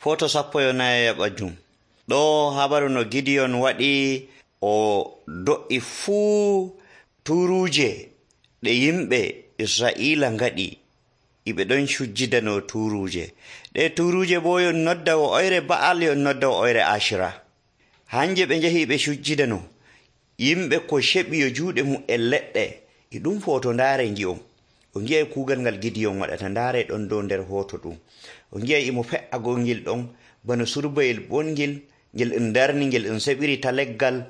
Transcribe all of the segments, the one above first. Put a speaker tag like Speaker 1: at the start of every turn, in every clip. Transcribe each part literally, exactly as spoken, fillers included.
Speaker 1: Foto sappo e nayi ɓajum. Ɗo habaru no Gideon waɗi o do'i fuu turuje ɗe yimɓe Israila ngaɗi iɓe ɗon sujjidano turuje. Ɗe turuje bo yon nodda o oyre Ba'al yon nodda o oyre Ashira. Hanje ɓe njehi ɓe sujjidano. Yimɓe ko sheɓi yo juuɗe mum e leɗɗe e ɗum foto ndaare ngi'on. O ngi'ay kuugal ngal Gideon waɗata ndaare ɗon dow nder hoto ɗum. O ngi'ay imo fe'a gongil ɗon bano surbayel bongil ngel en darni ngel en seɓiri ta leggal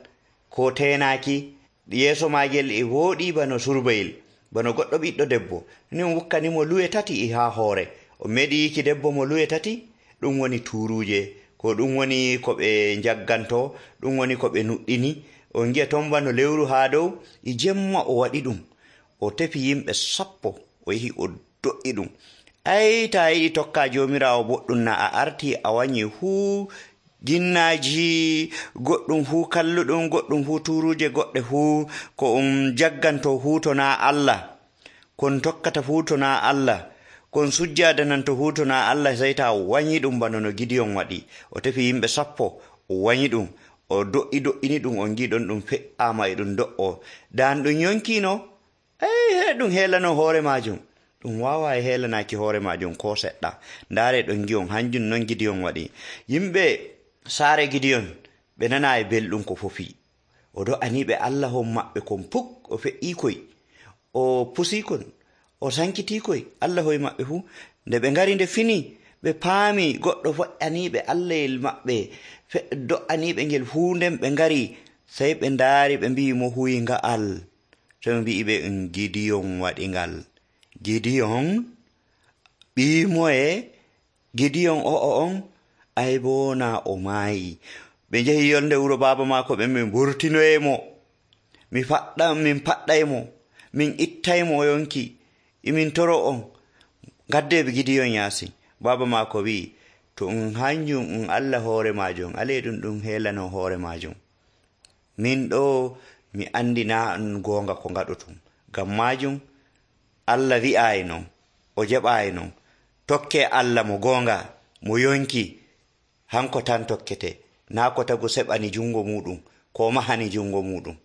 Speaker 1: ko tenaki yeeso magel e woɗi bano surbayel bano goɗɗo ɓiɗɗo debbo ni on wukkanimo luwe tati e ha hoore. O meɗi yiki debbo mo luwe tati ɗum woni turuje ko ɗum woni ko ɓe jagganto ɗum woni ko ɓe nuɗɗini. On gi'a ton bano lewru ha dow e jemma o waɗi ɗum o tefi yimɓe sappo o yehi o do'i ɗum. Ai ta yiɗi tokka jomirawo boɗɗum na a arti a wanyi fuu ginnaji goɗɗum fuu kalluɗum goɗɗum fuu turuje goɗɗe fuu ko um jagganto fuu to na Allah kon tokkata fuu to na Allah kon sujjadananto fuu to na Allah sai ta wanyi ɗum bano no Gideon waɗi. O tefi yimɓe sappo o wanyi ɗum o do'i do'ini ɗum on giɗon ɗum fe'ama e ɗum do'o dan ɗum yonkino ei he ɗum helano hoore majum ɗum wawa e helanaki hoore majum ko seɗɗa. Ndaare ɗon gi'on hanjum non Gideon waɗi. Yimɓe saare Gideon ɓe nana e belɗum ko fofi o do'aniɓe Allah hon maɓɓe kon puk o fe'i koy o pusi kon o sankiti koy Allah hoy maɓɓe fuu. Nde ɓe ngari nde fini ɓe paami goɗɗo fe'aniɓe Allahyel maɓɓe do'aniɓe ngel fuu. Nden ɓe ngari sai ɓe ndaari ɓe mbi'i mo huyi nga'al so ɓe mbi'i ɓe en Gideon waɗi ngal. Gideon ɓimoye Gideon o'o on ay bo na o maayi. Ɓe njehi yolnde wuro baaba maako ɓe min burtinoyemo mi faɗɗa min paɗɗaymo min ittaymo yonki imin toro on gadde ɓe Gideon yaasi. Baaba maako wi to um hanjum um Allah hoore majum ale ɗum ɗum helano hoore majum. Min ɗo mi andina an gonga ko ngaɗotum ngam majum Allah wi'ayi non o jaɓayi non. Tokke Allah mo gonga mo yonki hanko tan tokkete na ko tagu seɓani jungo muɗum ko mahani jungo muɗum.